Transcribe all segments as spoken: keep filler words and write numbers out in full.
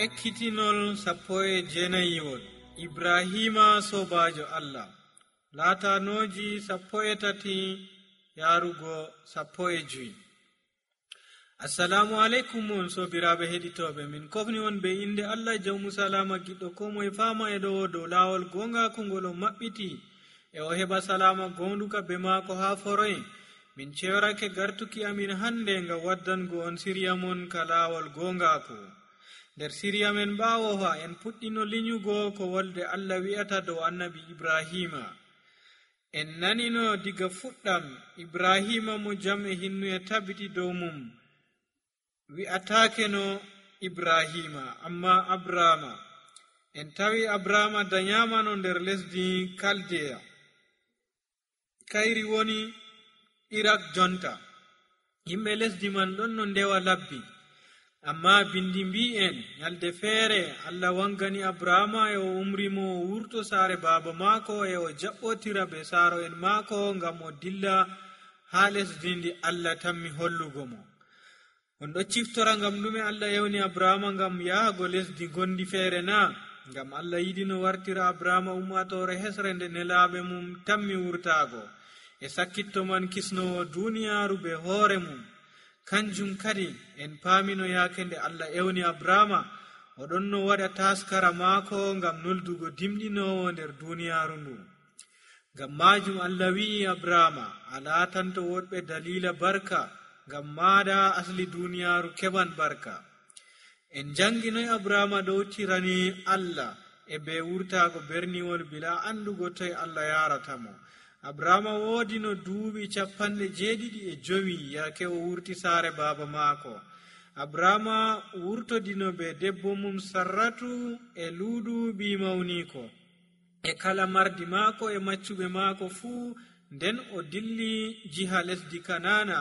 ekkitinol sappo e jeenayiwol ibrahima sobajo allah laatanoji sappo e tati yarugo sappo e joyi. Assalamu alaikum on sobiraɓe heɗitoɓe, min kofni on be inde allah jawmu salama giɗɗo ko moye fama e ɗo dow lawol gongaku ngol o maɓɓiti e o heɓa salama gonduka be maako ha foroye. Min cewarake gartuki amin hande ngam waddango on siriya mon ka lawol gongaku. Nder siriya men ɓawo ha en puɗɗino linyugo ko wolde allah wi'ata dow annabi ibrahima. En nanino diga fuɗɗam ibrahima mo jam e hinnu e tabbiti dow mum wi'atake no ibrahima amma abrama. En tawi abrama danyamano nder lesdi kaldeya, kayri woni irak jonta. Yimɓe lesdi man ɗon no ndewa labbi, amma bindi mbi'en nyalde feere allah wangani abrama e o umrimo o wurto saare baaba maako e o jaɓɓotira be saaro en maako ngam o dilla ha lesdi ndi allah tammi hollugo mo. On ɗo ciftora ngam ɗume allah yewni abrama ngam yahago lesdi gondi feere na? Ngam allah yiɗi no wartira abrama ummatore hesre nde nelaɓe mum tammi wurtago e sakkitto man kisnowo duniyaru be hoore mum. Kanjum kadi en paamino yaake nde allah ewni abrama o ɗon no waɗa taskara maako ngam noldugo dimɗinowo nder duniyaru ndu. Ngam majum allah wi'i abrama a laatanto woɗɓe dalila barka, ngam maada asli duniyaru keɓan barka. En jangi noy abrama ɗowtirani allah e be wurtago berniwol bila andugo toye allah yaratamo. abrama woodi no duuɓi capanɗe jeeɗiɗi e jowi yake o wurti saare baaba maako. abrama wurtodino be debbo mum sarratu e luudu ɓi mawniko e kala mardi maako e maccuɓe maako fuu, nden o dilli jiha lesdi kanana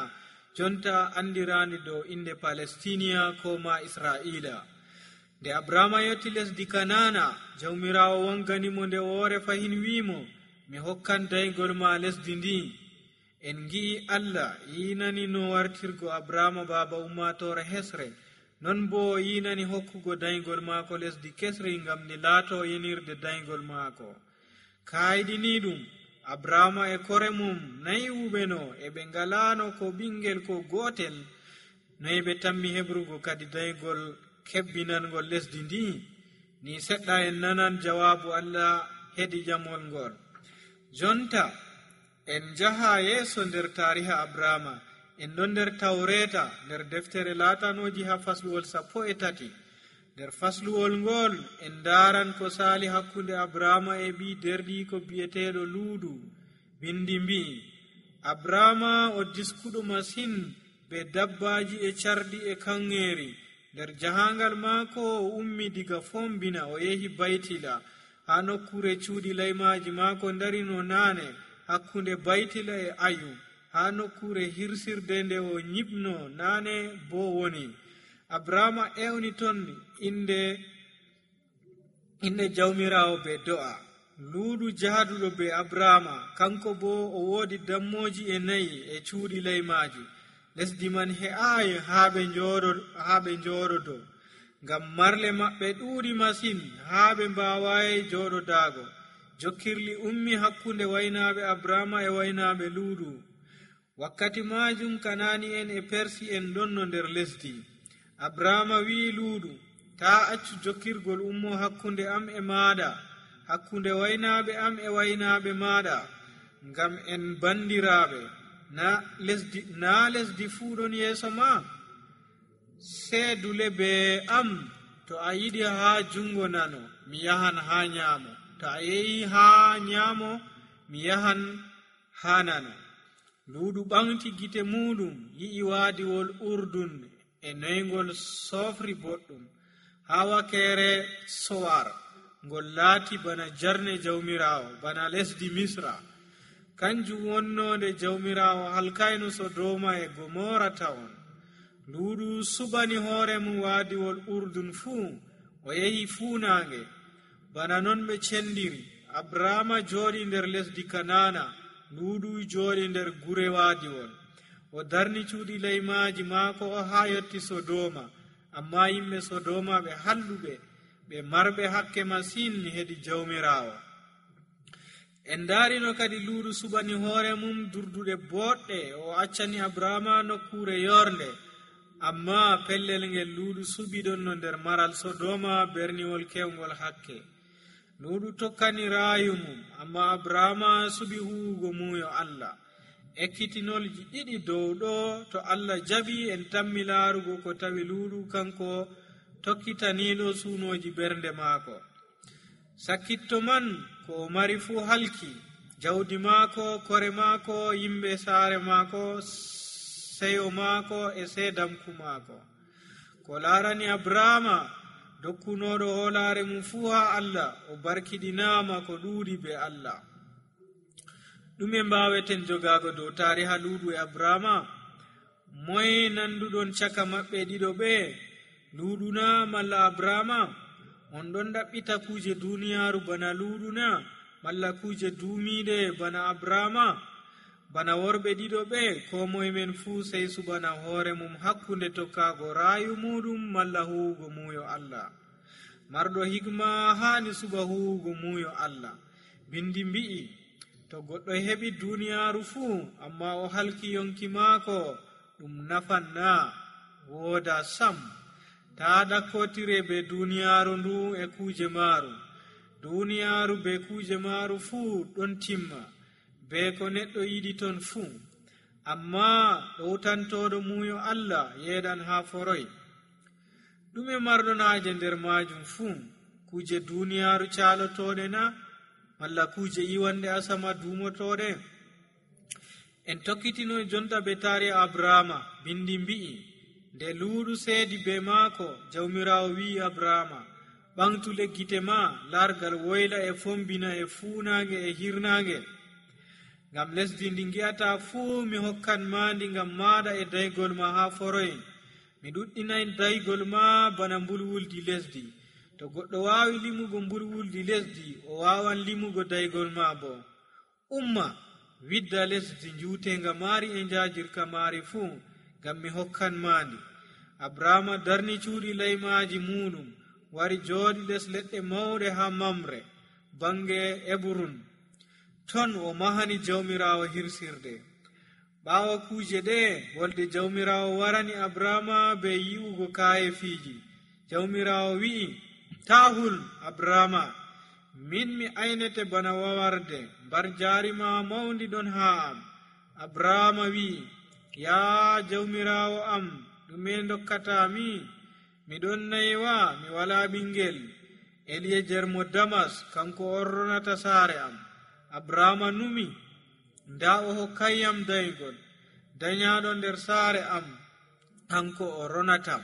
jonta andirandi dow inde palestinia ko ma israila. Nde abrama yotti lesdi kanana, jawmirawo wanganimo nde woore fahin wimo, mi hokkan daygol ma lesdi ndi. En gi'i allah yinani no wartirgo abrama baba ummatore hesre, non bo yinani hokkugo daygol maako lesdi kesri ngam ni laato yenirde daygol maako. Kayɗini ɗum abrama e kore mum nayi wuɓeno e ɓe ngalano ko ɓingel ko gotel, noyi ɓe tammi hebrugo kadi daygol kebbinangol lesdi ndi. Ni seɗɗa en nanan jawabu allah hedi jamol ngol. Jonta en jaha yeeso nder tariha abrama. En ɗon nder tawreta nder deftere laatanoji ha fasluwol sappo e tati. Nder fasluwol ngol en daran ko sali hakkunde abrama e ɓi derɗi ko bi'eteɗo luudu. Bindi mbi'i abrama o diskuɗo masin be dabbaji e carɗi e kangeri. Nder jahangal maako o ummi diga fombina o yehi baytila, ha nokkure cuuɗi laymaji maako darino naane hakkunde baytila e ayu, ha nokkure hirsirde nde o ñibno naane bo woni. abrama ewni ton inde inde jawmirawo be do'a. luudu jaaduɗo be abrama kanko bo o woodi dammoji e nayi e cuuɗi laymaji. lesdi man he'ayi haa ɓe njooɗo haa ɓe njooɗodo, ngam marle maɓɓe ɗuuɗi masin haa ɓe mbawayi jooɗodago. jokkirli ummi hakkunde waynaaɓe abrama e waynaaɓe luudu. wakkati majum kanani en e persi en ɗonno nder lesdi. abrama wi'i luudu, ta accu jokkirgol ummo hakkunde am e maɗa, hakkunde waynaaɓe am e waynaaɓe maɗa, ngam en bandiraɓe. na lesdi na lesdi fuu ɗon yeeso ma? seedule be am. to a yiɗi haa jungo nano, mi yahan haa nyaamo. to a yehi haa nyaamo, mi yahan haa nano. luudu ɓamti gite muɗum, yi'i waadiwol urdun e noygol sofri boɗɗum haa wakeere sowar, ngol laati bana jarne jawmirawo, bana lesdi misra. kanjum wonnode jawmirawo halkayno sodoma e gomora tawon. luudu subani hoore mum waadiwol urdun fuu, o yehi fuunange. bana non ɓe cendiri. abrama jooɗi nder lesdi kanana, luudu jooɗi nder gure waadiwol. o darni cuuɗi leymaji maako o haa yotti sodoma. amma yimɓe sodoma ɓe halluɓe ɓe marɓe hakke masin hedi jawmirawo. en darino kadi luuɗu suɓani hoore mum durduɗe boɗɗe o accani abrahama nokkure yornde, amma pellel ngel luuɗu suɓi ɗon no nder maral sodoma berniwol kewngol hakke. luuɗu tokkani raayu mum, amma abrahama suɓi huwugo muuyo allah. ekkitinolji ɗiɗi dow ɗo to allah jaɓi en tammi laarugo ko tawi luuɗu kanko tokkitaniɗo suunoji bernde maako. sakkitto man ko o mari fuu halki, jawdi maako, kore maako, yimɓe saare maako, seyo maako e seedamku maako. ko laarani abrahama dokkunoɗo hoolaare mum fuu ha allah, o barkiɗinaama ko ɗuuɗi be allah. ɗume mbaweten jogago dow tariha luuɗu e abrahama? moye nanduɗon caka maɓɓe ɗiɗo ɓe, luuɗuna malla abrahama? on ɗon ɗaɓɓita kuje duniyaaru bana luuɗuna malla kuje duumiɗe bana abrahama? bana worɓe ɗiɗo ɓe, ko moye men fuu sey subana hoore mum hakkunde tokkago raayu muɗum malla huwugo muuyo allah. marɗo hikma haani suba huwugo muuyo allah. bindi mbi'i, to goɗɗo heɓi duniyaaru fuu amma o halki yonki maako, ɗum nafanna wooda sam. taa ɗakkotire be duniyaaru ndu e kuuje maaru. duniyaaru be kuuje maaru fuu ɗon timma, be ko neɗɗo yiɗi ton fuu, amma ɗowtantoɗo muuyo allah yeeɗan haa foroy. ɗume marɗon haaje nder maajum fuu? kuuje duniyaaru caalotoɗe na, malla kuje iwande asama dumotoɗe? en tokkitino jonta be taari abrahama. bindi mbi'i, nde luuɗu seedi be maako, jawmirawo wi'i abrahama, ɓangtu leggite ma, largal woyla e fombina e fuunage e hirnage. ngam lesdi ndi gi'ata fuu mi hokkan ma ndi ngam maɗa e daygol ma ha foroyen. mi ɗuɗɗinay daygol ma bana mbulwuldi lesdi. to goɗɗo waawi limugo mbulwuldi lesdi, o waawan limugo daygol ma bo. umma widda lesdi njuutenga maari e njaajirka maari fuu, ngam mi hokkan maandi. abrahama darni cuuɗi laymaaji muɗum, wari jooɗi les leɗɗe mawɗe ha mamre bange eburun. ton o mahani jawmirawo hirsirde. ɓaawo kuuje ɗe, wolde jawmirawo warani abrahama be yi'ugo kaaye fiiji. jawmirawo wi'i, tahul abrahama, min mi aynete bana wawarde, mbar jaarima mawndi ɗon haa am. abrahama wi'i, yaa jawmirawo am, ɗume dokkatami? miɗon naywa, mi wala ɓingel. eliyejer mo damas kanko orronata saare am. abrahama numi, nda o hokkayyam daygol, dañaɗo nder saare am, hanko o ronatam.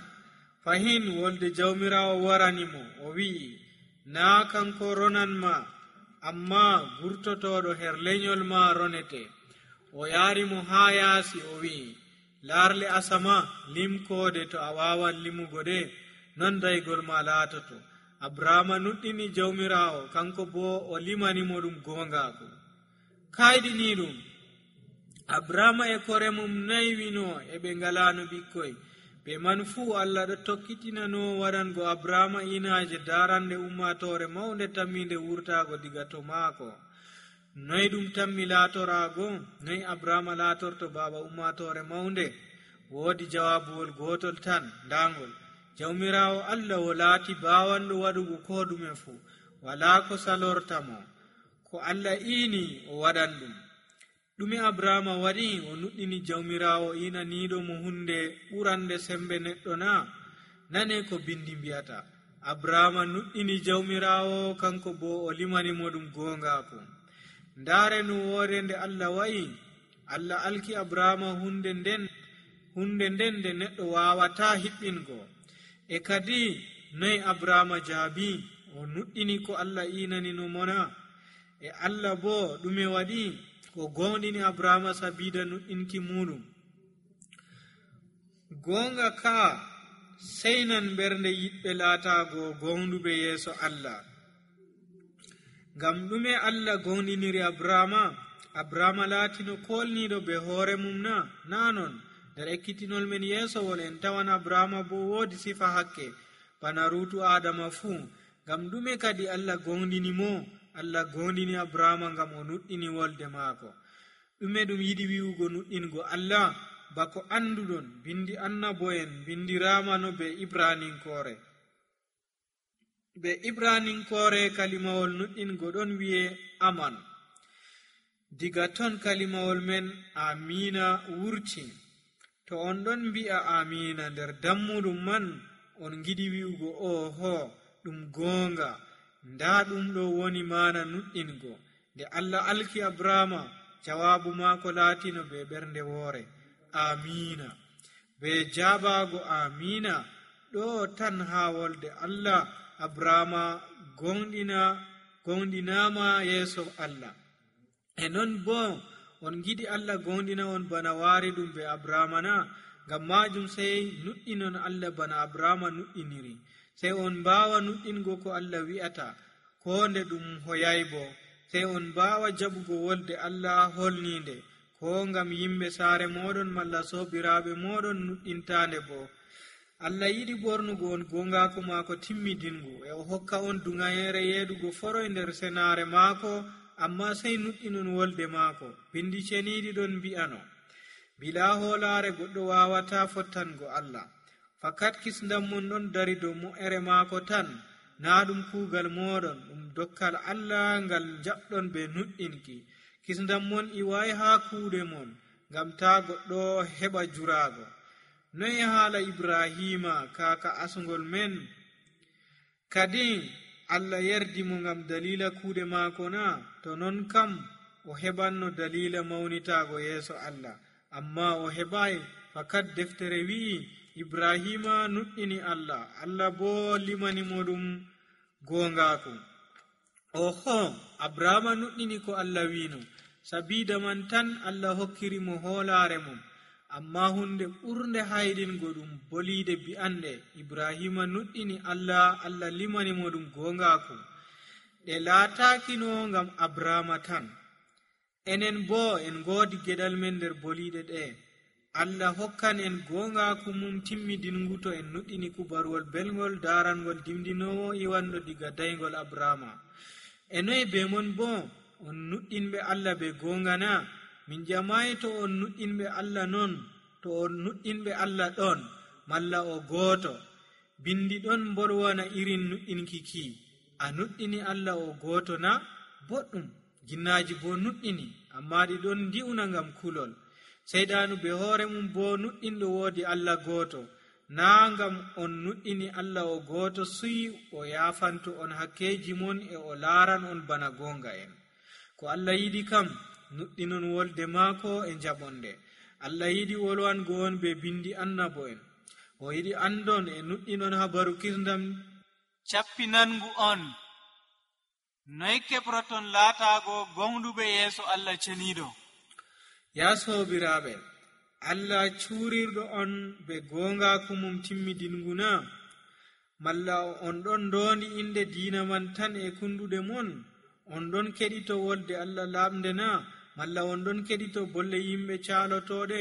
fahin wolde jawmirawo waranimo, o wi'i, naa kanko ronanma, amma gurtotoɗo her lenyol ma ronete. o yaarimo haa yaasi, o wi'i, laarle asama limkoode to a wawan limugo de, non daygol ma laatoto. abrahama nuɗɗini jawmirawo, kanko bo o limanimo ɗum gongaako. kayɗini ɗum, abrahama e kore mum naywino e ɓe ngalano ɓikkoy. ɓe man fuu allah ɗo tokkitinano waɗango abrahama inaje darande ummatore mawnde tamminde wurtago diga to maako. noy ɗum tammi laatorago? noy abrahama laatorto baba ummatore mawnde? woodi jawabuwol gotol tan ndangol. jawmirawo allah o laati bawanɗo waɗugo ko ɗume fuu, wala ko salortamo. ko allah iini o waɗan ɗum. ɗume abrahama waɗi? o nuɗɗini jawmirawo inaniɗo mo hunde ɓurande sembe neɗɗo na? nane ko bindi mbiyata, abrahama nuɗɗini jawmirawo, kanko bo o limanimo ɗum gongaako. ndaare no woore nde allah wa'i. allah alki abrahama hunde nden hunde nden nde neɗɗo wawata hiɓɓingo. e kadi noy abrahama jaabi? o nuɗɗini ko allah inanino mona. e allah bo ɗume waɗi? ko gonɗini abrahama sabida nuɗɗinki muɗum. gonga ka seynan ɓernde yiɗɓe laatago gonɗuɓe yeeso allah. ngam ɗume allah gonɗiniri abrahama? abrahama laatino kolniɗo be hoore mum na? na non. nder ekkitinol men yeesowol en tawan abrahama bo woodi sifa hakke bana ruutu adama fuu. ngam ɗume kadi allah gondini mo? Allah gondini abrahama ngam o nuɗɗini wolde maako. ɗume ɗum yiɗi wi'ugo nuɗɗingo allah? bako anduɗon bindi annabo'en bindiramano be ibraninkoore. be ibraninkoore kalimawol nuɗɗingo ɗon wi'e aman. diga ton kalimawol men amina wurti. to on ɗon mbi'a amina nder dammuɗum man, on giɗi wi'ugo oho ɗum goonga, nda ɗum ɗo woni mana nuɗɗingo. nde allah alki abrahama, jawabu maako laatino be ɓernde woore, amina. be jabago amina ɗo tan ha wolde allah, abrahama gonɗina gonɗinama yeeso allah. e non bo on giɗi allah gonɗina on bana waari ɗum be abrahama na? ngam majum sey nuɗɗinon allah bana abrahama nuɗɗiniri. sey on mbawa nuɗɗingo ko allah wi'ata, ko nde ɗum hoyay bo. sey on mbawa jaɓugo wolde allah holninde, ko ngam yimɓe saare moɗon malla sobiraɓe moɗon nuɗɗintande bo. allah yiɗi ɓornugo on gongaku maako timmidingu, e o hokka on dungayere yeeɗugo foroy nder senare maako, amma sey nuɗɗinon wolde maako. bindi ceniɗi ɗon mbi'ano, bila hoolare goɗɗo wawata fottango allah. fakat kisndam mon ɗon dari dow mo'ere maako tan, na ɗum kuugal moɗon, ɗum dokkal allah ngal jaɓɗon be nuɗɗinki. kisndam mon iway ha kuuɗe mon, ngam ta goɗɗo heɓa jurago. noy haala ibrahima kaka asgol men? kadi allah yerdi mo ngam dalila kuuɗe maako na? to non kam o heɓanno dalila mawnitago yeeso allah, amma o heɓai. fakat deftere wi'i ibrahima nuɗɗini allah, allah bo limani mo ɗum gongaku. oho, abrahama nuɗɗini ko allah wino, sabida man tan allah hokkiri mo hoolare mum. amma hunde ɓurde hayɗingo ɗum boliide bi'anɗe, ibrahima nuɗɗini allah, allah limani mo ɗum gongaku. ɗe laatakino ngam abrahama tan. enen bo en ngoodi geɗal men nder boliide ɗe. allah hokkan en gongaku mum timmidingu to en nuɗɗini kubaruwol belgol darangol dimdinowo iwanɗo diga daygol abrahama. e noye be mon bo on nuɗɗinɓe allah be gonga na? min jamayi to on nuɗɗinɓe allah non, to on nuɗɗinɓe allah ɗon, malla o gooto. bindi ɗon mbolwana irin nuɗɗinki ki. a nuɗɗini allah o gooto na? boɗɗum. jinnaji bo nuɗɗini, amma ɗi ɗon ndi'una ngam kulol. seyɗanu be hoore mum bo nuɗɗinɗo woodi allah gooto, na ngam on nuɗɗini allah o gooto suyi o yafanto on hakkeji mon e o laaran on bana gonga en. ko allah yiɗi kam nuɗɗinon wolde maako e jaɓonde. allah yiɗi wolwango on be bindi annabo en. o yiɗi andon e nuɗɗinon habaru kisndam cappinangu on. noy keɓroton laatago gonɗuɓe yeeso allah ceniɗo? ya sobiraɓe, allah cuurirɗo on be gongaku mum timmidingu na? malla on ɗon ndondi inde diina man tan e kunduɗe mon? on ɗon keɗito wolde allah lamde na? malla on ɗon keɗito bolle yimɓe calotoɗe?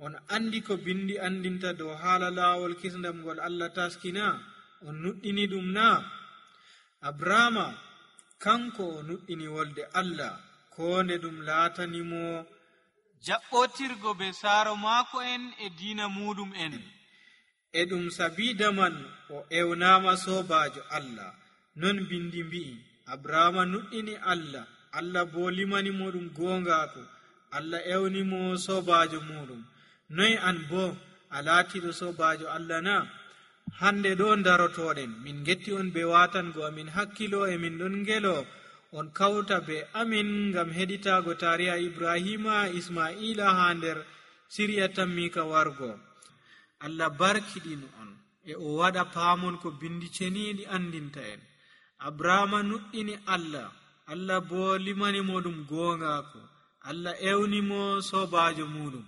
on andi ko bindi andinta dow haala laawol kisndam ngol allah taskina? on nuɗɗini ɗum na? abrahama kanko o nuɗɗini wolde allah, ko nde ɗum laatanimo jaɓɓotirgo be saaro maako en e diina muɗum en. e ɗum sabida man o ewnama sobajo allah. non bindi mbi'i abrahama nuɗɗini allah, allah bo limanimo ɗum gongaku, allah ewnimo sobajo muɗum. noy an bo a laatiɗo sobajo allah na? hande ɗo darotoɗen min getti on be watango amin hakkilo, e min ɗon ngelo on kawta be amin ngam heɗitago tariha ibrahima ismaila ha nder siriya tammika wargo. allah barkiɗin on e o waɗa paamon ko bindi ceniɗi andinta en. abrahama nuɗɗini allah, allah bo limanimo ɗum gongaku, allah ewnimo sobajo muɗum.